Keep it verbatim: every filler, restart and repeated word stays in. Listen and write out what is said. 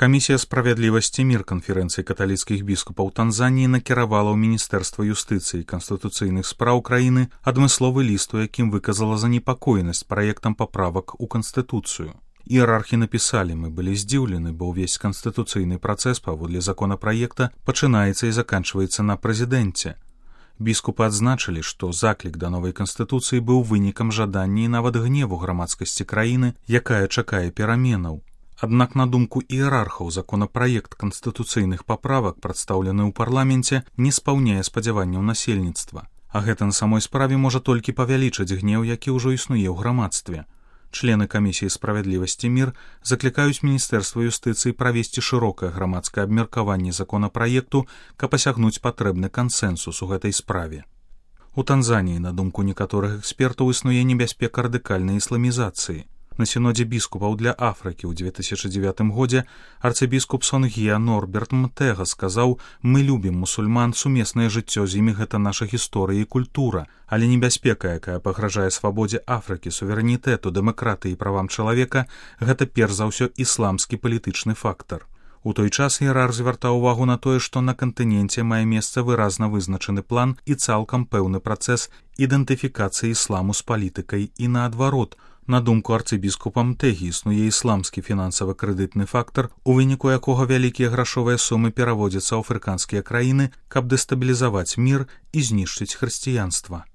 Камісія справядлівасці і мір канферэнцыі каталіцкіх біскупаў Танзаніі накіравала ў Міністэрства юстыцыі і канстытуцыйных спраў краіны адмысловы ліст, у якім выказала занепакоенасць праектам паправак у Канстытуцыю. Іерархі напісалі: «Мы былі здзіўлены, бо ўвесь канстытуцыйны працэс паводле законапраекта пачынаецца і заканчваецца на прэзідэнце». Біскупы адзначылі, што заклік да новай канстытуцыі быў вынікам жадання і нават гневу грамадскасці краіны, якая чакае пераменаў. Аднак, на думку іерархаў, законапраект канстытуцыйных паправак, прадстаўлены ў парламенце, не спаўняе спадзяванняў насельніцтва. А гэта на самой справе можа толькі павялічыць гнеў, які ўжо існуе ў грамадстве. Члены камісіі справядлівасці і мір заклікаюць Міністэрства юстыцыі правесці шырокае грамадскае абмеркаванне законапраекту, каб асягнуць патрэбны кансэнсус у гэтай справе. У Танзаніі, на думку некаторых экспертаў, існуе небяспека радыкальнай ісламізацыі. На сінодзе біскупаў для Афрыкі ў две тысячы дзевятым годзе арцыбіскуп Сонгія Норберт Мтэга сказаў: «Мы любім мусульман, сумеснае жыццё з імі — гэта наша гісторыя і культура, але небяспека, якая пагражае свабодзе Афрыкі, суверэнітэту, дэмакратыі і правам чалавека — гэта перш за ўсё ісламскі палітычны фактар». У той час іерарх звяртаў увагу на тое, што на кантыненце мае месца выразна вызначаны план і цалкам пэўны працэс ідэнтыфікацыі ісламу з палітыкай і наадварот. На думку арцыбіскупа Мтэгі, існуе ісламскі фінансава-крэдытны фактар, у выніку якога вялікія грашовыя сумы пераводзяцца ў афрыканскія краіны, каб дэстабілізаваць мір і знішчыць хрысціянства.